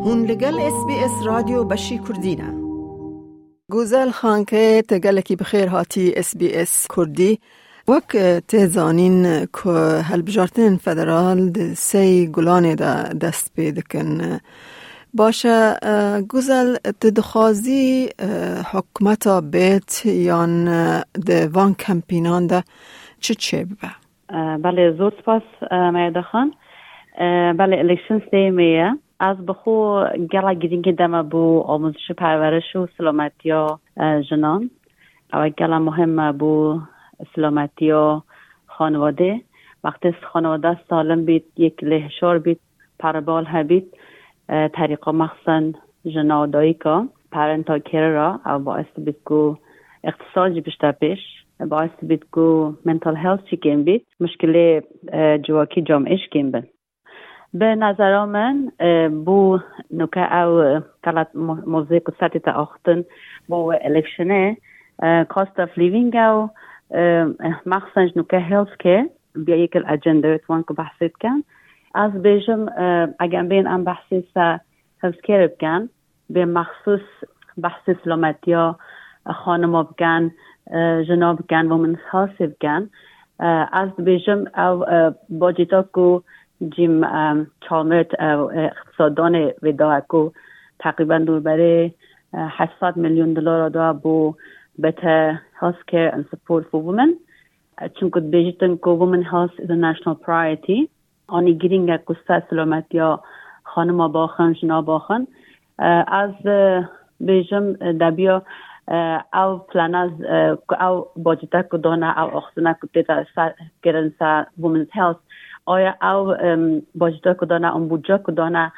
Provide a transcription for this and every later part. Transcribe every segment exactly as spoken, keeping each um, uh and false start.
Hûn li gel S B S Radyo Beşî Kurdî ne. Guzel Xankê, te gelekî bi xêr hatî S B S Kurdî. Wek, e, tê zanîn ku hilbijartinên federal di sey Gulanê de dest pê dikin. Baş e, e, Guzel, tu dixwazî, e, hikûmeta bêt yan, e, di van kempînan de çi çêbibe? E, belê, zor spas, e, Meyda Xan. E, belê, election sê me ye. Ez bi xwe gela girîngê deme bo amûzişê perweriş û silametiya, e, jinan. Ew gela muhim e bo silametiya xanivadê. Wextê xanivade salim bît, yek lê hişar bît, perebal hebît, e, terîqa mexsen jina dayika, parental care ra, ew baes dibît ku îqtisad jî bişte pêş, baes dibît ku mental health jî kêm bît, muşkilê, e, civakî camê jî kêm bin. Bi nezera min, e, bû nuke ew, e, qelet mo-, mozê ku setê te axtin bo wê electionê, e, cost of living ew, e, mexsen ji nuke healthcare biya yek li agenda wê wan ku behsê dikin. Ez bêjim, e, eger em bên em behsê se healthcare bikin, bê mexsûs behsê silametiya xanima bikin, e, jina bikin, women's health bikin. E, ez dibêjim ew, e, baceta ku Jim, e, Chalmers, e, e, îqtisaddanê vê daye ku teqrîben dorberê, e, heft sed milyon dolara da bo better healthcare and support for women. E, çunku dibêjitin ku women health is a national priority. Anî girîng e ku ser silametiya xanima baxin, jina baxin. E, ez, e, bêjim, e, debiya, e, ew plana, e, ku ew bacete ku dane, ew axsina ku tê de ser kirin ser women's health, aya ew, em, bacete ku dane, em budce ku dane,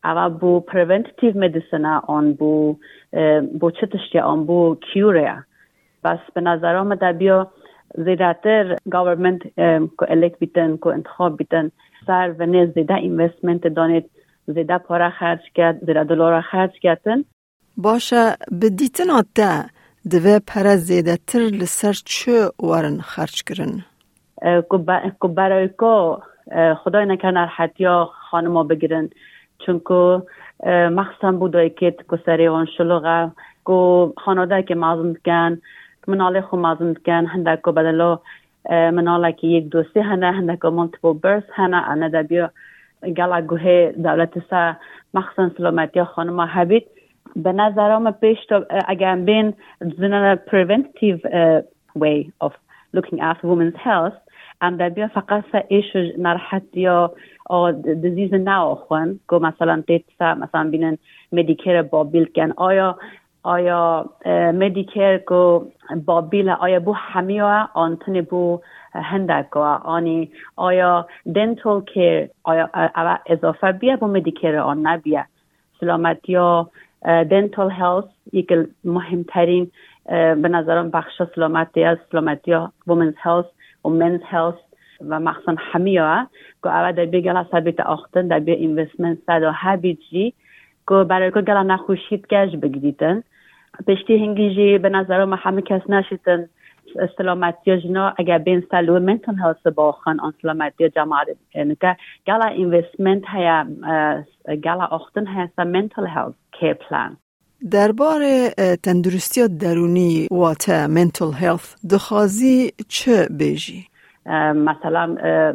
ew bo preventative medicine e, an bo, e, bo çi tiştê, an bo cure ye. Bes bi nezera min de biya zêdetir government, em, ku elek bîtin, ku intixab bîtin, ser vinê zêde investment danê, zêde para xerc ket, zêde dolara xerc ketin. Baş e, bi dîtina te divê pere zêdetir li ser çi werin xerc kirin? E, ku be-, ku berayko, e, Xwedayê neke nerhetiya xanima bigirin. Çunku, e, mexsen bo dayikêt ku serê wan şilix e, ku xanadekê mezin dikin, minalê xwe mezin dikin, hindek ku bedelo, e, minalekî yek dosê hene, hindek ku multiple birth hene, ene de biyo gela guhê dewletê se mexsen silametiya xanima hebît. Bi nezera min pêş de, e, eger em bên zina preventive, e, way of looking after women's health, em debiya feqet se êş û nerhetiya a disease neaxwin, ku meselan tê se, meselan bînin Medicare babîl ken. Aya, aya, e, Medicare ku babîl e, aya bo hemiya e, an tenê bo hindek e, anî aya dental care, aya, e, eve izafe biye bo Medicare an nebiye. Silametiya, e, dental health, yek li muhîmterîn, e, bi nezeran bexşa silametê ye, silametiya women's health û men's health ve mexsen hemiya ye, ku eve de bê gela sebî te axtin, de bê investment se de hebît jî, ku berê ku gela nexweşî dike ji bigirîtin. Piştî hingî jî bi nezera me hemû kes neşîtin silametiya jina, eger bên ser li wê mental health baxin, an silametiya cemaetê nike, gela investment heye, e, gela axtin heye ser mental health care plan. Derbarê, e, tenduristiya derûnî, wate mental health, dixwazî çi bêjî? E, mesela, e,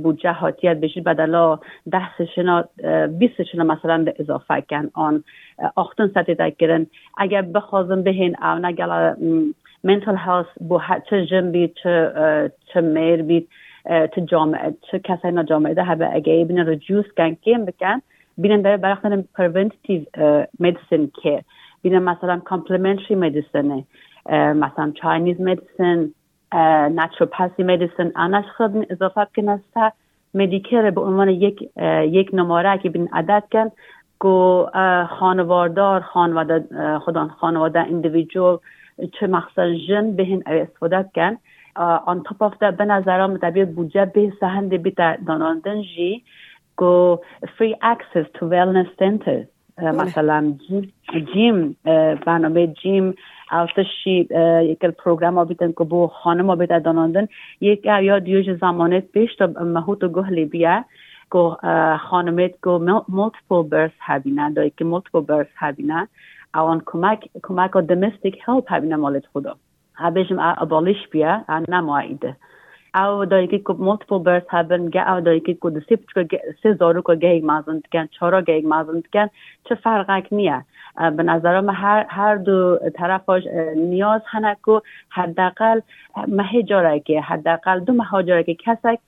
budce hatiye bêjî bedela deh sêşina, e, bîst sêşina mesela de izafe ken an, e, axtin setê de kirin. Eger bixwazin bihên ew ne gela, m, mental health bo he, çi jin bît, çi, e, çi mêr bît, e, çi cami, çi kesayna camê de hebe, eger bînin reduce ken, kêm biken, bînin de berxin preventative, e, medicine care. Bînin mesela complementary medicine, e, mesela Chinese medicine, e, naturopathy medicine, ana ji xwe bin izafe bikine ser Medicare bi unvanê yek, e, yek numarekî bin adet ken ku, e, xanivardar, xanivade, e, xudan xanivade individual, çi mexsen jin bihên ew istifade bikin. E, on top of that, bi nezera min tebî budce bê sehendê bîte danandin jî ku free access to wellness centers. E, Belê. Mesela gym, gym, e, bernameyê gym, ew tiştî, e, yek li programa bîtin ku bo xanima bête danandin. Yek ev ya diyo ji zemanê pêş de mehût û guh lê bûye. ku, e, xanimêt ku mul-, multiple birth hebîne, dayikî multiple birth hebîne, ewan kumek, kumeka domestic help hebîne malêt xwe de. Ebêjim, e, abolish bûye, e, nema îdi. Ew dayikî ku multiple birth hebin, ge ew dayikî ku di sê piçka ge-, sê zaroka gehek mezin dikin, çara gehek mezin dikin, çi ferqek niye. E, bi nezera me her, her du terefa, e, niyaz hene ku hedeqel, e, mehê carekê, hedeqel du meha carekê kesek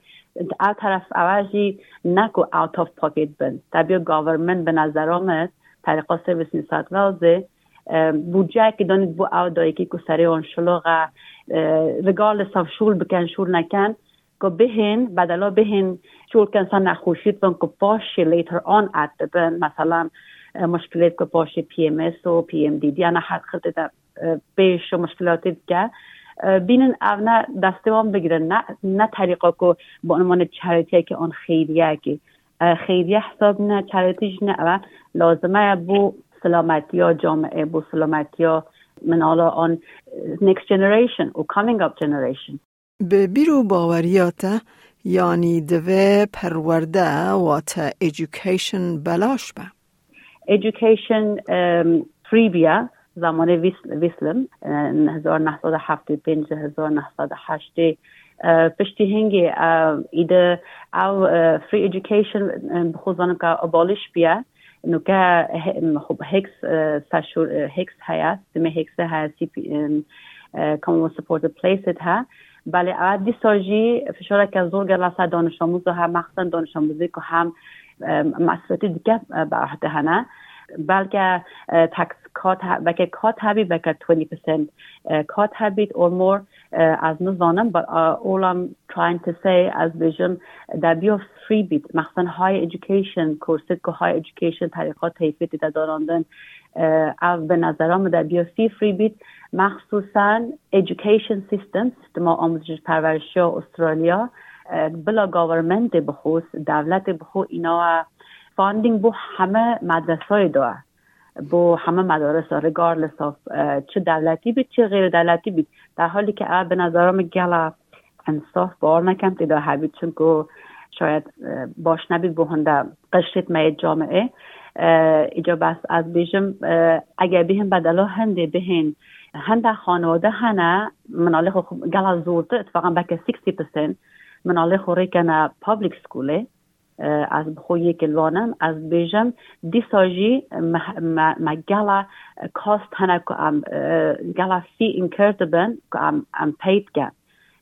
ev teref ewe jî ne ku out of pocket bin. Tabii government bi nezera me, Tariqa Service New South Wales, e, budceyekî danît bo ew dayikî ku serê wan şilox e, e, regardless of şûl bikin, şûl nekin, ku bihên, bedela bihên şûl kin ser nexweşît bin ku paşê later on add dibin, mesela, e, muşkilêt ku paşê P M S û P M D D ya ne her xirtê de, e, pêş û muşkilatê dike. E, bînin ev ne destê wan bigirin, ne, ne terîqa ku bi unwanê charity-yekê an xeyriyekê. E, xeyriye hesab ne, charity jî ne, ew lazime ye bo silametiya camiê, bo silametiya minala an, e, next generation û coming up generation. Bi bîr û baweriya te, yanî divê perwerde, wate education, belaş be? Education, em, free bûye. Zamanê Wis-, Wislin, e, hezar neh sed û heftê û pênc, hezar neh sed û heştê, e, piştî hingê, e, îde ew, e, free education, e, bi xwe zanim ka abolish bûye. Nuke he-, em, xwe Hicks, e, seşur, e, Hicks heye, sistemê Hicks heye, C P, em, e, Commonwealth Supported Places he. Belê ev dîsa jî fişareke zor gela ser danişamûza he, mexsen danişamûzê ku hem, e, mesûliyetê dike, e, bi ehdê hene. Belke, e, tax cut he-, belke cut hebî, belke twenty percent, e, cut hebît or more, e, ez nizanim, but, uh, all I'm trying to say, ez bêjim, debiya free bît, mexsen higher education, kursêt ku higher education terîqa teyfê tê de danandin, e, ev bi nezera min debiya fee free bît, mexsusen education system, sistema amûzişî perwerişiya Australya, e, bila governmentê bi xwe, dewletê bi xwe îna funding bo heme medresayê da. Bo heme medarisa, regardless of, e, çi dewletî bît, çi xêr dewletî bît. Derhalî ke ev bi nezera min gela insaf, bawer nekem tê de hebît, çunku şayet, e, baş nebît bo hinde qişrêt me yê camiê. E, îca bes ez bêjim, e, eger bihên bedela hindê bihên, hinde xanewade hene, minalê xwe xwe gela zortir, itfaqan belke sixty percent, minalê xwe rêkene public schoolê. E, ez bi xwe yekê li wan im, ez dibêjim, dîsa jî me, me, me gela cost hene ku em, e, gela fee incur dibin ku em, em pay dikin.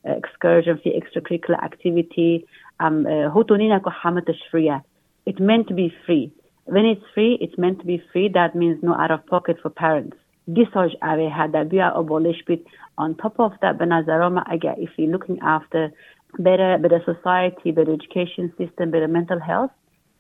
E, excursion fee, extracurricular activity, em, e, hoto nîne ku heme tişt free ye. It meant to be free. When it's free, it's meant to be free. That means no out of pocket for parents. Dîsa jî ev ê hede bûye abolish bît. On top of that, bi nezera me, eger if we looking after better, better society, better education system, better mental health,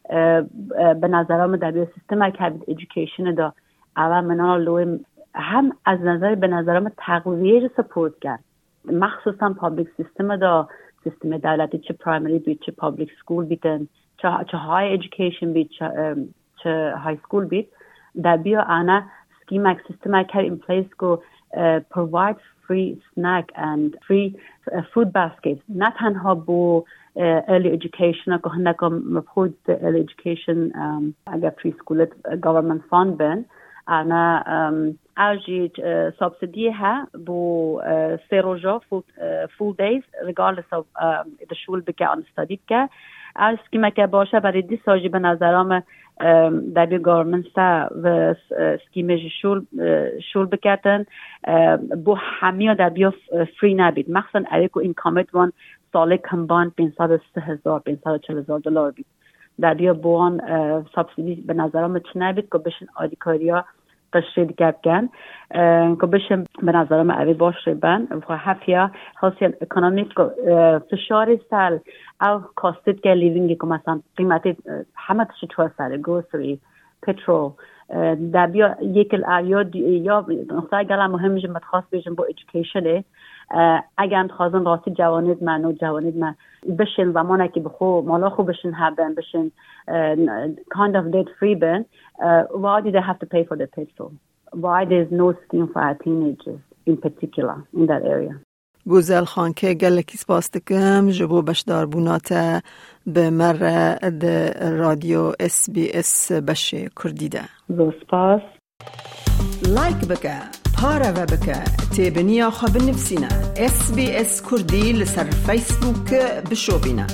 e, e, bi nezera me debiya sistemek hebît education de, ev e minala li wê hem ez nezerî bi nezera me texwîziyê jî support ken. Mexsusen public system de, sistemê dewletî çi primary bît, çi public school bîtin, çi, çi higher education bît, çi, em, çi high school bît, debiya ana schemek, sistemek hev in place ku, e, provide free snack and free, e, food basket. Ne tenha bo, e, early education, ku hindeka me xwe dît early education, em, eger preschool, e, government fund bin, ana, em, ew jî, e, subsidy he bo, e, sê roja full, e, full days, regardless of, em, di şûl bike an study bike. Ew schemeke baş e, berê dîsa jî bi nezera me, em, debiya government se ve, e, schemê jî şûl, e, şûl biketin, e, bo hemiya debiya f-, e, free nebît. Mexsusen ew ê ku income wan salê combined pênc sed û sî hezar, pênc sed û çil hezar dolar bît. Debiya bo wan, e, subsidy bi nezera me çi nebît ku bişin alîkariya qişrê dike bikin, e, ku bişin bi nezera me ev ê baş rê ben. Xwe hefiya hosiyan ekonomîk ku, e, fişarê ser ew costê dike livingê ku mesela qîmetê, e, heme tiştî çûye serê, grocery, petrol, e, debiya yekil ev ya dî-, ya nokta gela muhim jî me dixwest bêjim bo educationê. E, eger em dixwazin rastî cewanêd me, no cewanêd me bişên zemanekî bi xwe, mala xwe bişin hebin, bişin, e, kind of debt free bin, e, why do they have to pay for the petrol? Why there's no scheme for our teenagers in particular in that area? Gozel Xanke, gelekî spas dikim ji bo beşdarbûna te bi me re di Radyo S B S beşê Kurdî de. Zor spas. Like bike, pareve bike, têbiniya xwe binivîsîne. S B S Kurdî li ser Facebook bişopîne.